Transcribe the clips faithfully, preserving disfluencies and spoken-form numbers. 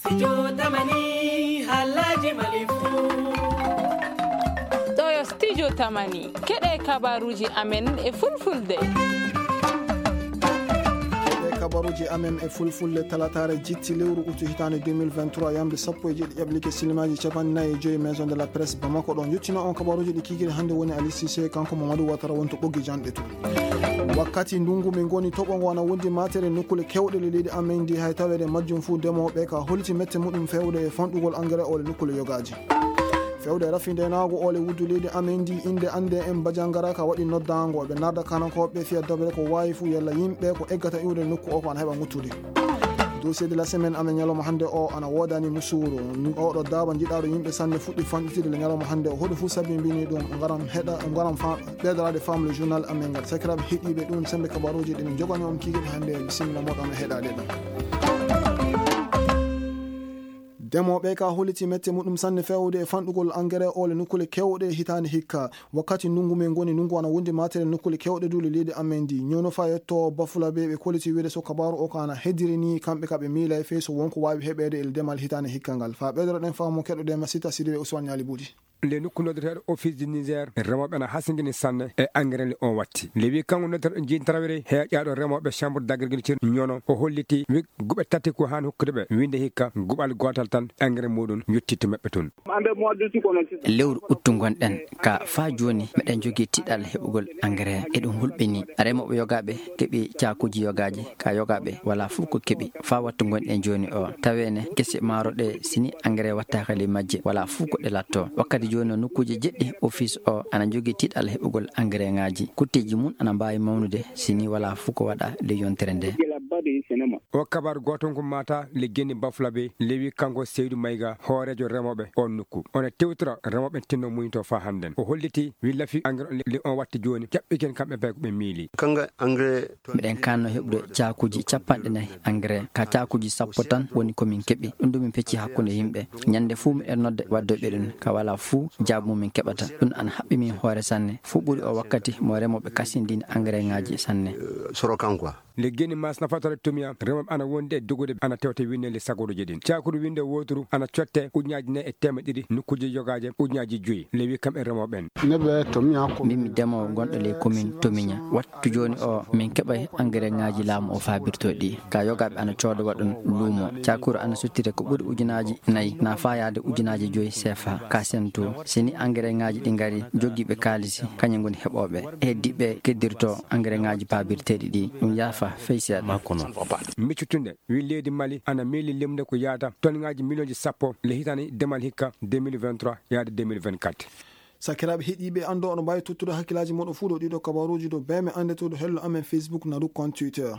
Studio Tamani, haalaaji Mali fuu. Ɗoo yo Studio Tamani, keɗee kabaaruuji amen e Fulfulde. Keɗee kabaaruuji amen e Fulfulde, talataare jitti lewru utu hitaande deux mille vingt-trois, yamde sappo e jeeɗiɗi ƴaɓliike silimaaji capanɗe nayi e joy, Maison de la Presse Bamako ɗo njottinoo on kabaaruuji ɗi kiikiiɗe hannde woni Ali Cissé, kanko Mamadou Ouattara woni to ɓoggi janɗe to. Wakkati ndunngu min ngoni, toɓo ngo ana wondi maatere nokkuule keewɗe ley leydi amen ndi, hay taweede majjum fuu demooɓe ka holiti mette muɗum feewde e fanɗugol engrais oo le nokkuule yogaaji. Feewde rafi ndeenaagu oo le wuddu leydi amen ndi, innde annde en Bajangara ka waɗi noddaango, ɓe narda kanankooɓe fiya dabre ko waawi fuu yalla yimɓe ko eggata iwde nokku oo ko ana heɓa ŋuttude. Dossier de la semaine amen ñalawma hannde oo ana woodani musuuru. Ni ooɗoo daaba njiɗaaɗo yimɓe sanne fuɗɗi fanɗitide le ñalawma hannde oo. Hoɗum fuu sabi mbini ɗum, ngaram heɗa, ngaram fa-, ɓeydoraade faamu le journal amen ngal. Sakiraaɓe heɗiiɓe, ɗum sembe kabaaruuji ɗi min njogani on kiikiiɗe hannde. Bisimilla mooɗon e heɗaade ɗum. Demooɓe ka holliti mette muɗum sanne feewde e fanɗugol engrais oo le nokkuule keewɗe hitaande hikka. Wakkati ndunngu men ngoni, ndunngu ana wondi maatere nokkuule keewɗe duu ley leydi amen ndi. Ñoono faa yetto Bafulabe, ɓe kolliti wiide so kabaaru oo ko ana heddiri nii, kamɓe ka ɓe miilay fey so won ko waawi heɓeede e demal hitaande hikka ngal. Faa ɓeydoro ɗen faamu, keɗoɗen Masita Sidibe Usman Ñaali Buudi. Le nokku noddeteeɗo Office du Niger, remooɓe ana hasingini sanne e engrais le on watti. Le wi kanko noddeteeɗo jintrawere heeƴaaɗo remooɓe Chambre d'agriculture Ñoono, o holliti wi guɓe tati ko haani hokkude ɓe winnde hikka guɓal gootal tan engrais muuɗum yottittu maɓɓe toon. Lewru uttu ngonɗen ka faa jooni, meɗen jogii tiiɗal heɓugol engrais. Eɗum hulɓinii. Remooɓe yogaaɓe keɓii caakuuji yogaaji, ka yogaaɓe walaa fuu ko keɓi. Faa wattu ngonɗen jooni oo, taweene gese maaro ɗee, si nii engrais wattaaka ley majje, walaa fuu ko ɗe lattoo. Wakkati jooni oo, nokkuuje jeɗɗi office oo ana jogii tiiɗal heɓugol engrais ŋaaji. Kutteeji mum ana mbaawi mawnude, si nii walaa fuu ko waɗaa ley yontere ndee. O kabaaru gooto ngu maata le genni Bafulabe, le wi kanko Seydu Mayga, hooreejo remooɓe on nokku. Ona tewtora remooɓe tinno muñitoo faa hannden. O holliti wi lafi engrais on le, le on watti jooni, jaɓɓiken kamɓe bee ko ɓe miili. Kanga engrais to- Miɗen kaanno heɓude caakuuji capanɗe nayi engrais. Ka caakuuji sappo tan woni ko min keɓi. Ɗum ɗum min pecci hakkunde yimɓe. Ñannde fuu miɗen nodda waddoyɓe ɗum. Ka walaa fuu jaabu mo min keɓata. Ɗum ana haɓɓi min hoore sanne. Fuu ɓuri oo wakkati mo remooɓe kasindini engrais ŋaaji sanne. Soro kan quoi. Le geni mas nafatore tumiya, remooɓe ana wondi e dogude, ana tewta winneeli sagorooji ɗin. Caakuru winnde wooturu ana cotte ujunnaaji nayi e teemeɗɗe ɗiɗi, nokkuuje yogaaje ujunnaaji joy. Le wi kamɓe remooɓe ɓen. Min mi demoowo gonɗo ley komin Tomiña. Wattu jooni oo, min keɓay engrais ŋaaji laamu oo faabirtoo ɗi. Ka yogaaɓe ana cooda waɗa ɗum luumo. Caakuru ana sottira ko ɓuri ujunnaaji nayi, na faayaade ujunnaaji joy seefa. Ka sentu, si ni engrais ŋaaji ɗi ngari, jogiiɓe kaalisi, kañum ngoni heɓooɓe. Heddiiɓe keddirtoo engrais ŋaaji paabirteeɗi ɗi. Ɗum yaafa fey seeɗa. Miccutunde, wi leydi Mali ana miili limde ko yaata tonŋaaji miliyonji sappo le hitaande demal hikka deux mille vingt-trois yaade deux mille vingt-quatre. Sakiraaɓe heɗiiɓe, anndo oɗo mbaawi tottude hakkillaaji mooɗon fuu ɗo ɗiɗo kabaaruuji ɗo bee men annde to ɗo hello amen Facebook na ɗum compte Twitter.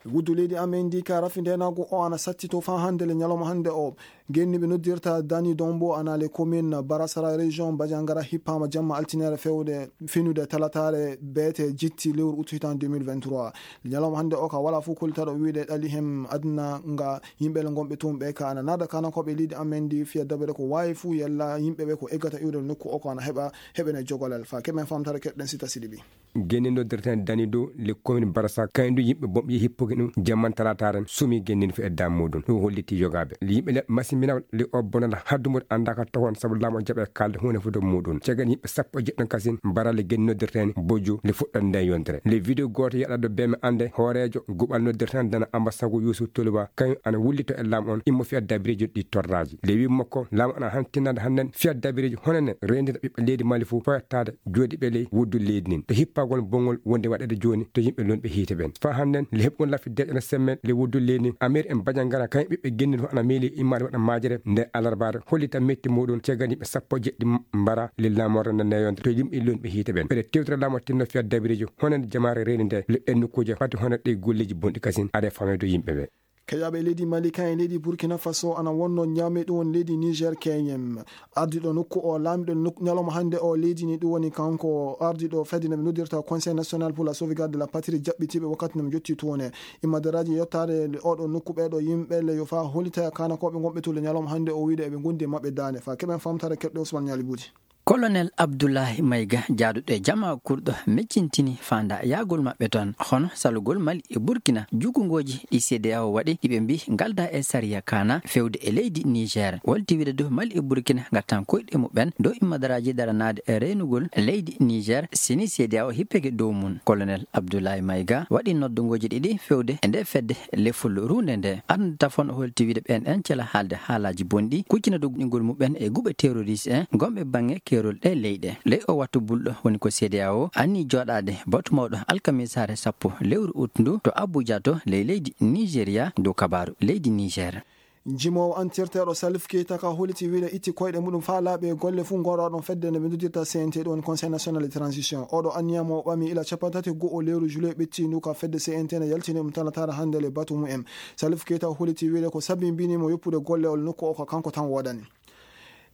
Wuddu leydi amen ndi ka rafi ndeenaagu o ana sattitoo faa hannde le ñalawma hannde o. Genni ɓe noddirta Dani Dombo ana le commune Barasara région Bajangara hippaama jamma altiniere fewde finude talataare beete jitti lewru utu hitaande deux mille vingt-trois. Le ñalawma hannde o ka walaa fuu kollitaaɗo wiide ɗali hem aduna nga yimɓe le ngonɓe toon ɓe ka ana naada kanankooɓe leydi amen ndi fiya dabere ko waawi fuu yalla yimɓe ɓe ko eggata iwde nokku o ko ana heɓa heɓene jogolal. Faa keɓen faamtare keɗɗen Sita Sidibi. Genni noddirten Dani dow le commune Barasa, kañum du yimɓe bonɓe hippuki ɗum jamman talaataare sumi genni fii e dam muɗum. Ɗum holliti yogaaɓe. Yimɓe le masimbina le o bonana haddumude anndaaka tohon sabu laamu o jaɓe kaalde huunde fof dow muɗum. Caggal yimɓe sappo e jeɗɗo kasin barale genni noddirten Bojju le fuɗɗan nden yontere. Le vidéo gooto yaɗa ɗo bee mi annde hooreejo guɓal noddirten dana Amba Sagu Yuusuf Tuluba, kañum ana wullito e laamu on immo fii e dabireeji ɗi torraaji. Le wi makko laamu ana han tinnande hannden fii e dabireeji hono nen reendirta ɓiɓɓe leydi Mali fof foyattaade jooɗiiɓe ley wuddu leydi ndin. E hippagol bonngol wonde waɗeede jooni to yimɓe lonɓe hiite ɓen. Faa hannden, le heɓugol lafi deeƴana semmel le wuddu leydi ndin, Amir en Bajangara, kañum ɓiɓɓe genni ɗum ana miili immaade waɗa maajere nde alarbaare, hollita metti muɗum caggal yimɓe sappo e jeɗɗi mbara le laamorde nde neyonde to yimɓe lonɓe hiite ɓen. Ɓeɗe tewtira laamu tinno fii e dabireeji honande jamaare reeni nde le e nokkuuje fati honande ɗi golleeji bonɗi kasin aɗe fameede yimɓe ɓe. Keƴaaɓe leydi Mali, kañum e leydi Burkina Faso ana wonno ñaami ɗum woni leydi Niger keñem. Ardiiɗo nokku o, laamiiɗo nok-, ñalawma hannde o leydi ni, ɗum woni kanko ardiiɗo fedde nde ɓe noddirta Conseil National pour la Sauvegarde de la Patrie, jaɓɓitiiɓe wakkati nde mo jotti toon e immadaraaji yottaade le oɗo nokku ɓeeɗo yimɓe le yo faa hollita kanakooɓe ngonɓe to le ñalawma hannde o wiide eɓe ngondi e maɓɓe daande. Faa keɓen faamtare keɗɗo Ousmane Ñaali Buuti. Kolonel Abdullahi Mayga, jaaduɗo e jamaa kurɗo, meccintini faandaayagol maɓɓe ton, hono salugol Mali e Burkina, jukungooji ɗi C D A O waɗi, ɗi ɓe mbii ngaldaa e sariya kaana, fewde e leydi Niger. Holti wiide dow Mali e Burkina ngattan koyɗe muɓɓen dow immadaraaji daranaade e reenugol leydi Niger, sini C D A O hippeke dow mum. Kolonel Abdullahi Mayga waɗi noddungooji ɗiɗi fewde e nde fedde lefol ruunde nde. Arnde tafon holti wiide ɓeen en cela haalde haalaaji bonɗi, kuccina dow goɗɗingol muɓɓen e guɓe terroriste en gonɓe baŋŋe keerol ɗee leyɗe. Ley oo wattu bulɗo woni ko C D A O anni jooɗaade batu mawɗo alkamisaare sappo lewru ut ndu to Abuja to ley leydi Nigeria dow kabaaru leydi Niger. Njimoowo antirteeɗo Salif Keita ka holiti wiide itti koyɗe muɗum faa laaɓi e golle fuu ngorooɗon fedde nde ɓe noddirta C N T ɗum woni Conseil National de Transition. Oɗo anniya mo o ɓami ila cappanɗe tati e go'o lewru juillet ɓetti ndu ka fedde C N T ne yaltini ɗum talataare hannde le batu mumen. Salif Keita holiti wiide ko sabimbini mo yoppude golle ol nokku o ko kanko tan woodani.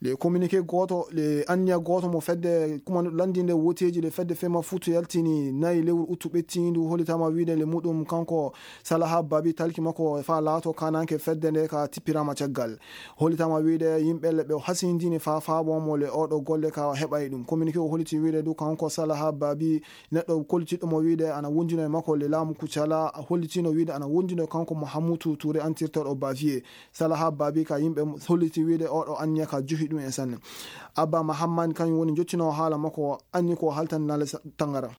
Le communiqué gooto, le anniya gooto mo fedde kumanɗo lanndinde woteeji le fedde fema futu yaltini nayi lewru uttu ɓettiindu holitaama wiide le muɗum kanko Salaha Babi talki makko faa laato kaananke fedde nde ka tippiraama caggal. Holitaama wiide yimɓe le ɓe hasindini faa faabo mo le oɗo golle ka heɓay ɗum. Communiqué o holiti wiide du kanko Salaha Babi neɗɗo kollitiɗo mo wiide ana wondino e makko le laamu Kucala, hollitino wiide ana wondino kanko Mahamutu Ture antirteeɗo Bavier. Salaha Babi ka yimɓe holliti wiide oɗo anniya ka juhi ɗum en sanne. Abba Mahammad kañum woni jottinoowo haala makko anni ko haltan nale sa-, tangara.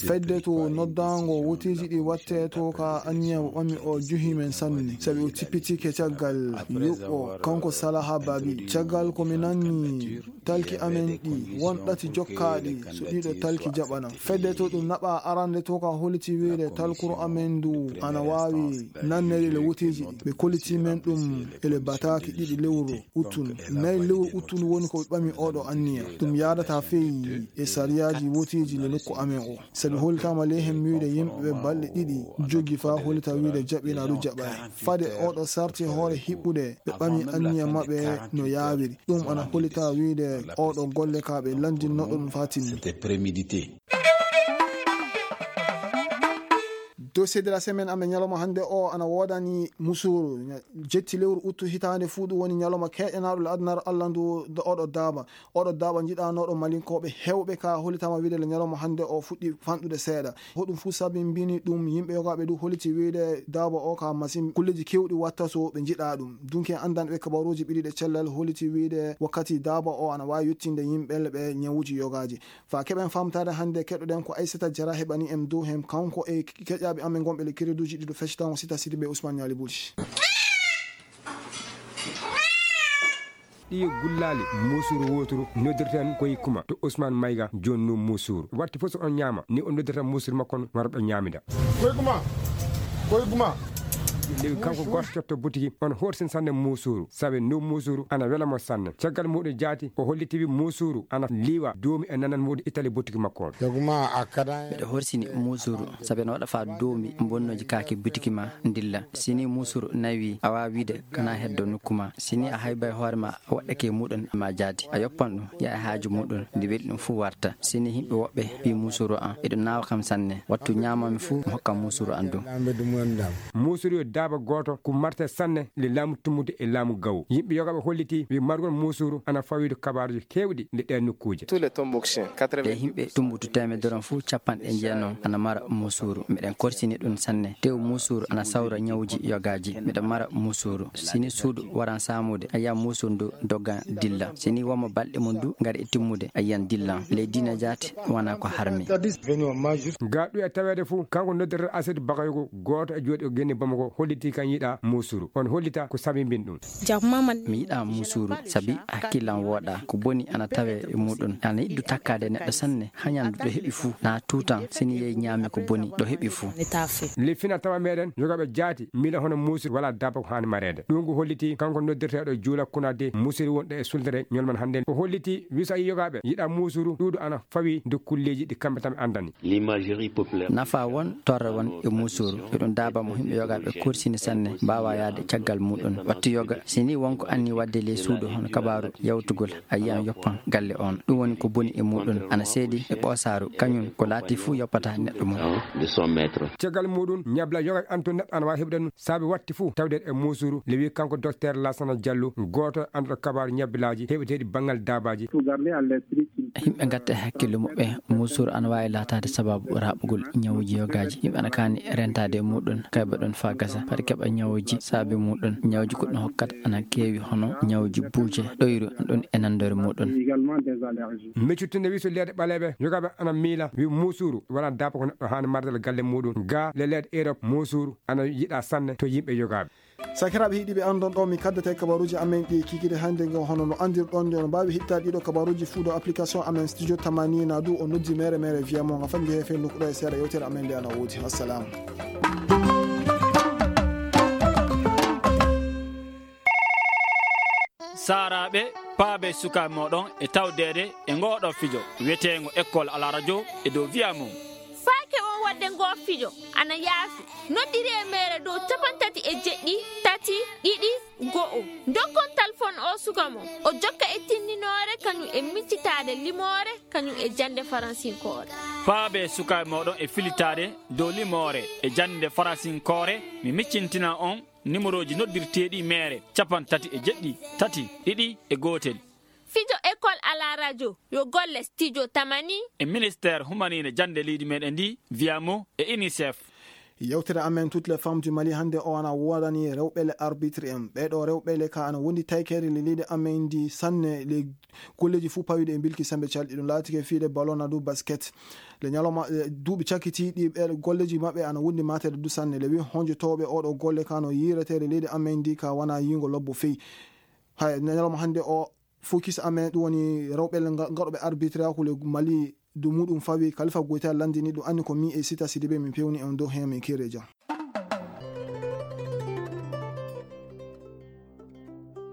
Fedde to noddaango woteeji ɗi watte to ka anniya o ɓami o juhi men sanne. Sabi o tippitike caggal yuɓɓo kanko Salaha Babi. Caggal ko mi nanni talki amen ɗi won ɗati jokkaaɗi so ɗiɗo talki jaɓana. Fedde to ɗum naɓa arande to ka holiti wiide talkuru amen ndu ana waawi nannede le woteeji ɗi. Ɓe kolliti men ɗum ele bataaki ɗiɗi lewru uttun. Nayi lewru uttun woni ko ɓe ɓami oɗo anniya. Ɗum yaadata feyi e sariyaaji woteeji le nokku amen o. Sabi holitaama ley hen wiide yimɓe ɓe balɗe ɗiɗi jogi faa holita wiide jaɓina ɗum jaɓay. Fade oɗo sarti hoore hiɓɓude ɓe ɓami anniya maɓɓe no yaawiri. Ɗum ana holita wiide oɗo golle ka ɓe lanndinno ɗum faa timmi. Dossier de la semaine amen ñalawma hannde o ana woodani musuuru. Jetti lewru uttu hitaande fuu ɗum woni ñalawma keeƴanaaɗo le adunaaru Alla ndu do oɗo daaba. Oɗo daaba njiɗanooɗo malinkooɓe heewɓe ka holitaama wiide le ñalawma hannde o fuɗɗi fanɗude seeɗa. Hoɗum fuu sabimbini ɗum yimɓe yogaaɓe du holiti wiide daaba o ka masin kulleeji keewɗi watta so ɓe njiɗa ɗum. Dunke anndanɓe kabaruuji ɓiɗiɗe cellal holiti wiide wakkati daaba o ana waawi yettinde yimɓe ɓe ñawuuji yogaaji. Faa keɓen faamtaade hannde keɗoɗen ko Aysata Jara heɓani en dow hen kanko e keƴaaɓe amen gonɓe le kereduuji ɗiɗo feccitango sita sidi ɓe Ousmane Ñaali Buli. Ɗii gullaali muusuuru wooturu noddirten koye kuma to Ousmane Mayga jooni nuu muusuuru. Watti fof so on ñaama ni o noddirta muusuuru makko on wara ɗo ñaamida. Koye kuma, koye kuma. Ndewi kanko gooto cotto butiki on horsin sanne muusuuru sabi nuu muusuuru ana wela mo sanne. Caggal muuɗum jaati o holliti wi muusuuru ana liiwa duumi e nanan muuɗum ittali butiki makko on. Miɗo horsini muusuuru sabi no waɗa faa doomi bonnooji kaake butiki ma ndilla. Si nii muusuuru naywii, a waawaa wiide kanaa heddo nokku maa. Si nii a haybay hoore maa, a waɗɗake e muuɗum maa jaati. A yoppan ɗum, yaha e haaju muuɗum, nde weli ɗum fuu warta. Si nii yimɓe woɓɓe mbii muusuuru an, eɗum naawa kam sanne. Wattu ñaamaami fuu, mi hokka muusuuru an ɗum. Muusuuru yo daaba gooto, ko marte sanne le laamu tumbude e laamu gawo. Yimɓe yogaaɓe hollitii wi margol muusuuru ana fawii kabaaruuji keewɗi nde ɗee nokkuuje. Ɓe yimɓe tumbutu teemedere on fuu, capanɗe jeenom ana mara muusuuru. Miɗen korsini ɗum sanne. Tew muusuuru ana sawra ñawuuji yogaaji. Miɗo mara muusuuru. Si nii suudu waran saamude, a yiyan muusuuru ndu doggan dilla. Si nii won mo balɗe mum du ngari e timmude, a yiyan dillan. Ley diina jaati, wanaa ko harmi. Gaa ɗum e taweede fuu, kanko noddirtee Aset Bakayogo, gooto e jooɗiiɓe genne Bamako, hollitii kan yiɗaa muusuuru. On hollita ko sabimbini ɗum. Mi yiɗaa muusuuru, sabi hakkillan wooɗaa. Ko boni ana tawee e muuɗum. Ana yiɗi du takkaade e neɗɗo sanne. Hañan du ɗo heɓi fuu, na tuutan, si nii yehi ñaami ko boni, ɗo heɓi fuu. Le fina tawa meɗen, yogaaɓe jaati, miila hono muusuuru walaa daaba ko haani mareede. Ɗum ko hollitii kanko noddirteeɗo Juula Kunade, muusuuru wonɗo e suldere ñolman hannden. O hollitii wi so a yii yogaaɓe yiɗaa muusuuru, ɗuuɗu ana fawii dow kulleeji ɗi kamɓe tan ɓe anndani. Nafaa won, torra won e muusuuru. Eɗum daaba mo yimɓe yogaaɓe kori sini sanne, mbaawaa yahde caggal muuɗum. Wattu yoga, si nii won ko anniyii waɗde ley suudu hono kabaaru yawtugol, a yiyan yoppan galle oon. Ɗum woni ko boni e muuɗum, ana seedi e ɓoosaaru, kañum ko laatii fuu yoppataa neɗɗo mum. Caggal muuɗum, ñabbila yoga ana toon neɗɗo ana waawi heɓude ɗum, saabe watti fuu tawde e muusuuru, le wi kanko Dokteer Laasana Jallo, gooto e annduɗo kabaaru ñabbilaaji heɓeteeɗi banngal daabaaji. Yimɓe ngatta e hakkille muɓɓe, muusuuru ana waawi laataade sabaabu raaɓugol ñawuuji yogaaji. Yimɓe ana kaani rentaade e muuɗum, kayba ɗum faa gasa, fati keɓa ñawuuji saabe muuɗum. Ñawuuji goɗɗi hokkata ana keewi, hono ñawuuji buuje, ɗoyru, ɗum e nanndore muuɗum. Meccude wi so leeɗe ɓaleeɓe, yogaaɓe ana miila, wi muusuuru wonaa daaba ko neɗɗo haani marde e galle muuɗum. Gaa le leeɗe Erop, muusuuru ana yiɗaa sanne to yimɓe yogaaɓe. Sakiraaɓe heɗiiɓe, anndon ɗo mi kaddata e kabaruuji amen ɗi kikiiɗe hannde ngo. Hono no anndirɗon, on mbaawi heɗitaade ɗiɗo kabaruuji fuu ɗo application amen Studio Tamani, naa duu on noddi meere meere wiya mo nga fannde heefe nokku ɗo e seeɗa yewtere amen nde ana woodi. Wassalaamu. Saaraaɓe, paabee sukaaɓe mooɗon e tawdeede e ngoo ɗoo fijo wiyeteengo École à la radio e dow wiyaa mum. Faake on waɗde ngoo fijo ana yaafi. Noddiree meere dow cappanɗe tati e jeɗɗi, tati, ɗiɗi, go'o. Ndokkon talfoŋ oo suka mon. O jokka e tinndinoore kañum e miccitaade limoore kañum e jannde faransinkoore. Paabee sukaaɓe mooɗon e filitaade dow limoore e jannde faransinkoore. Mi miccintina on nimorooji noddirteeɗi meere, cappanɗe tati e jeɗɗi, tati, ɗiɗi e gootel. Fijo École à la radio yo golle Studio Tamani e Ministeer Humaniire Jannde leydi meɗen ndi, wiyaa mo e UNICEF. Yewtere amen Toutes les femmes du Mali hannde o ana woodani rewɓe le arbitre en. Ɓee ɗoo rewɓe le ka ana wondi taykeere le leydi amen ndi sanne, le golleeji fuu pawiiɗi e mbilki sembe calɗi. Ɗum laatike fiyde ballon naa duu basket. Le ñalawma, eh, duuɓi cakkitiiɗi ɓee golleeji maɓɓe ana wondi maateede duu sanne. Le wi honjotooɓe oo ɗoo golle ka no yiiretee le leydi amen ndi ka wanaa yiingo lobbo fey. Hay, ñalawma hannde o, focus amen ɗum woni rewɓe nga-, ngaɗooɓe arbitre hakkunde Mali, dow muuɗum fawi. Kalifa Goyta lanndini ɗum, anni ko mi e Sita Sidibe min pewni on dow heen, min keere jam.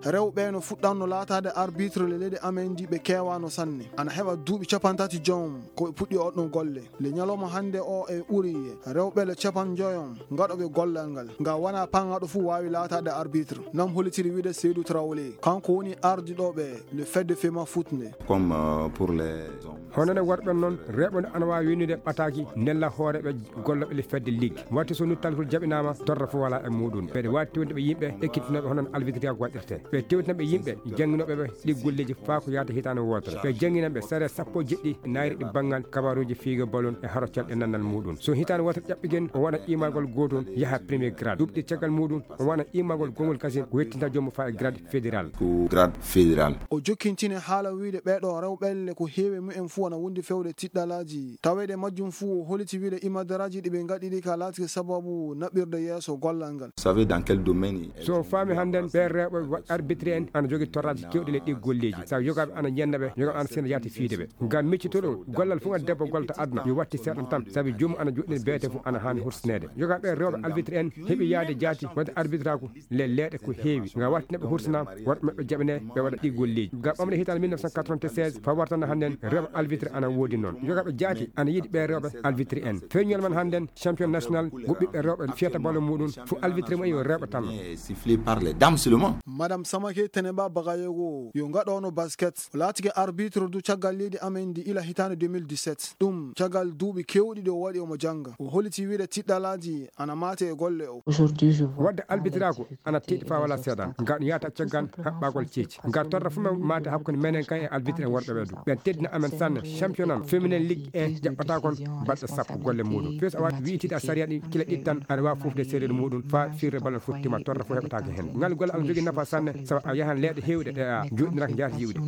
Rewɓe no fuɗɗanno laataade arbitre le leydi amen ndi ɓe keewaano sanne. Ana heɓa duuɓi cappanɗe tati joom ko ɓe puɗɗi oɗɗon golle. Le ñalawma hannde o e ɓuri rewɓe le capanɗe joy on ngaɗooɓe gollal ngal. Nga wanaa paŋaaɗo fuu waawi laataade arbitre. Nam hollitiri wiide Seydou Traoré. Kanko woni ardiɗo ɓe le Fedde Fema Foot nde. Comme, euh, pour les hommes. Hono no worɓe noon, rewɓe no ana waawi winnude ɓataaki nella hooreeɓe gollooɓe le Fedde Ligue. Watti so nuttal hul jaɓinaama, torra fof walaa e muuɗum. Ɓeɗe waawi tewtude ɓe yimɓe ekkitinooɓe hono no albitriyaagu waɗirtee. Ɓe tewtina ɓe yimɓe jannginooɓe ɓe ɗi golleeji faa ko yahata hitaande wootere. Ɓe janngina ɓe sare sappo e jeɗɗi naayiri ɗi banngal kabaruuji fiige balon e haroccal e nannal muuɗum. So hitaande wootere ƴaɓɓigen, o waɗa qiimagol gootol, yaha premier grade. Duuɓi ɗiɗi caggal muuɗum, o waɗa qiimagol gongol kasin, ko yettinta joomum faa e grade fédéral. Ko grade fédéral. O jokkintini haala wiide ɓee ɗoo rewɓe le ko heewi e mumen fuu ana wondi fewde tiɗɗalaaji. Taweede majjum fuu, o holliti wiide imadaraaji ɗi ɓe ngaɗiri ka laatike sababu naɓirde yeeso gollal ngal. Vous savez dans quel domaine? So faami hannden, ɓee rewɓe wa-, arbitre en ana jogii torraaji keewɗi le ɗi golleeji. Sabu yogaaɓe ana ñenna ɓe, yogaaɓe ana sena yaati fiide ɓe. Ngam miccitooɗo gollal fof ngal debbo gollata aduna, yo watti seeɗan tan, sabu joomum ana joɗɗini beete fof ana haani hursineede. Yogaaɓe rewɓe arbitre en heɓi yaade jaati waɗde arbitraaku le leeɗe ko heewi. Ngam watti neɗɗo hursina, worɓe maɓɓe jaɓanee, ɓe waɗa ɗi golleeji. Ngam ɓamde hitaande mille neuf cent quatre-vingt-seize, faa warta hannden rewɓe arbitre ana woodi noon. Yogaaɓe jaati ana yiɗi ɓee rewɓe arbitre en. Feeñol man hannden, champion national, go ɓiɓɓe rewɓe fiyata ballon muuɗum, fuu arbitre mumen yo rewɓe tan. Sifflé par les dames seulement. Madame Samake Teneba Bagayoko, yo ngaɗoono basket, o laatike arbitre du caggal leydi amen ndi ila hitaande deux mille dix-sept. Ɗum caggal duuɓi keewɗi ɗi o waɗi omo jannga. O holliti wiide tiɗɗalaaji ana maate e golle o. Waɗde albitraaku ana tiiɗi faa walaa seeɗan. Ngal ɗum yahata caggal haɓɓagol ceeci. Ngal torra fof men maate hakkunde menen kan e albitre en worɓe ɓee du. Ɓen teddina amen sanne. Championnat féminin ligue un jaɓɓata kon balɗe sappo golle muuɗum. Fii so a waɗi wi'itiiɗo a sariya ɗi kila ɗiɗi tan, aɗa waawi fufde seedeeɗo muuɗum faa firre ballon fof tima, torra fof heɓataake hen. Ngal golle ana jogii nafa sanne, sabu a yahan leeɗe heewɗe ɗe a joɗɗiniraaka njaati yi'ude.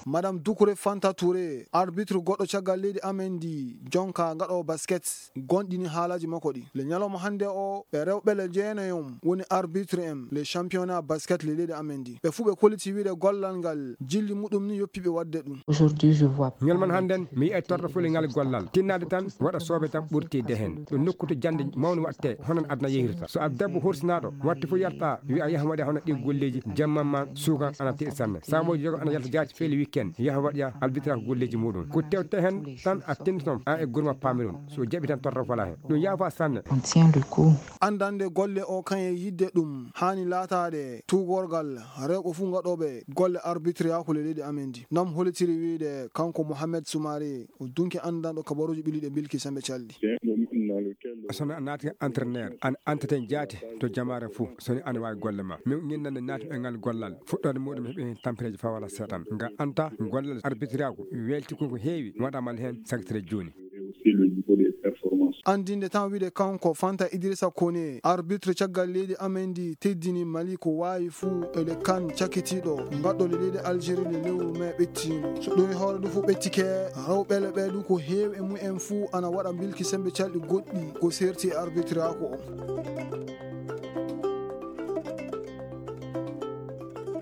Madame Doucouré Fanta Touré, arbitre goɗɗo caggal leydi amen ndi, jonka ngaɗoowo basket, gonɗini haalaaji makko ɗi. Le ñalawma hannde o, ɓe rewɓe le jeenayon woni arbitre en le championnat basket le leydi amen ndi. Ɓe fuu ɓe kolliti wiide gollal ngal jilli muɗum ni yoppi ɓe waɗde ɗum. Ñalawma hannden, mi yi'ay torra fof le ngal gollal. Tinnaade tan, waɗa soobe tan ɓurti de hen. Ɗum nokku to jannde mawnde waɗtee, hono no aduna yehirta. So a debbo horsinaaɗo, watti fof yalta, wi'a yahan waɗa hono Golleeji jamma maa suukan ana te'i sanne. Saabooji yoga ana yalta jaati fele wikken yaha waɗa albitraaku golleeji muuɗum. Ko tewte heen tan a tennditon aan e gurma paamiron. So jaɓi tan torra falaa heen. Ɗum yaafa sanne. Anndande golle oo kañe yiɗde ɗum haani laataade tuugorgal rewɓe fuu ngaɗooɓe golle arbitriyaaku ley leydi amen ndii. Noon holitiri wiyde kanko Mohamed Sumaare, o dunki anndanɗo kabaruuji ɓilliiɗi e Bilki Semmbe Calɗi. So mi naati entraîneur, an antaten jaati to jamaare fuu so ni ana waawi golle maa. Min ñinnande naati e ngal gollal fuɗɗoode muuɗum heɓi heen tampereeji faa wala seeɗan. Nga anta gollal arbitriyaaku weelti ko ko heewi waɗaama heen sagitire jooni. Anndinde tan wiyde kanko Fanta Idrissa Kone, arbitre caggal leydi amen ndi teddini Mali ko waawi fuu e le kan cakkitiiɗo ngaɗɗo le leydi Algérie le lewru mee ɓettiindu. So ɗum e hoore ɗum fuu ɓettike, rewɓe le ɓee ɗum ko heewi e mumen fuu ana waɗa mbilki semmbe calɗi goɗɗi ko seerti e arbitriyaaku o.